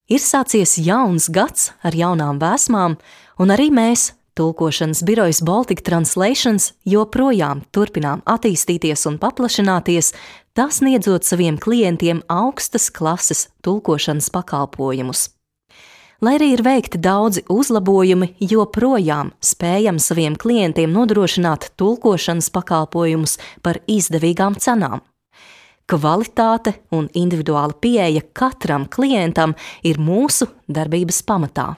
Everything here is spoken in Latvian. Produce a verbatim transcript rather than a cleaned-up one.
Ir sācies jauns gads ar jaunām vēsmām, un arī mēs, tulkošanas birojas Baltic Translations, joprojām turpinām attīstīties un paplašināties, tā sniedzot saviem klientiem augstas klases tulkošanas pakalpojumus. Lai arī ir veikti daudzi uzlabojumi, joprojām spējam saviem klientiem nodrošināt tulkošanas pakalpojumus par izdevīgām cenām. Kvalitāte un individuāla pieeja katram klientam ir mūsu darbības pamatā.